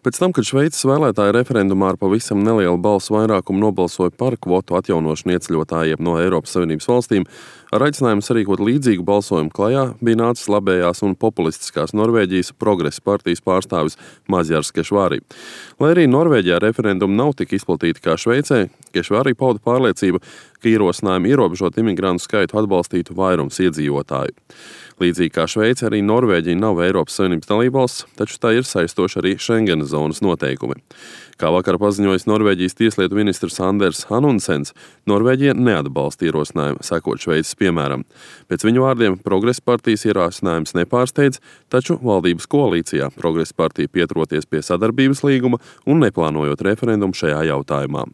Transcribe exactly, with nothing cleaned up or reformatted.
Pēc tam, kad Šveices vēlētāji referendumā ar pavisam nelielu balsu vairākumu nobalsoja par kvotu atjaunošanu ieceļotājiem no Eiropas Savienības valstīm, ar aicinājumu sarīkot līdzīgu balsojumu klajā bija nācis labējās un populistiskās Norvēģijas Progresa partijas pārstāvis Mazjars Kešvari. Lai arī Norvēģijā referendumi nav tik izplatīti kā Šveicē, Kešvari pauda pārliecību, ka ierosinājumi ierobežot imigrantu skaitu atbalstītu vairums iedzīvotāju. Līdzīgi kā Šveice, arī Norvēģija nav Eiropas Savienības dalībvalsts, taču tā ir saistoši arī Schengenas zonas noteikumi. Kā vakar paziņojis Norvēģijas tieslietu ministrs Anders Hanunsens, Norvēģija neatbalsta ierosinājumu sekot Šveices piemēram. Pēc viņu vārdiem Progresa partijas ierosinājums nepārsteidz, taču valdības koalīcijā Progresa partija pieturoties pie sadarbības līguma un neplānojot referendumu šajā jautājumā.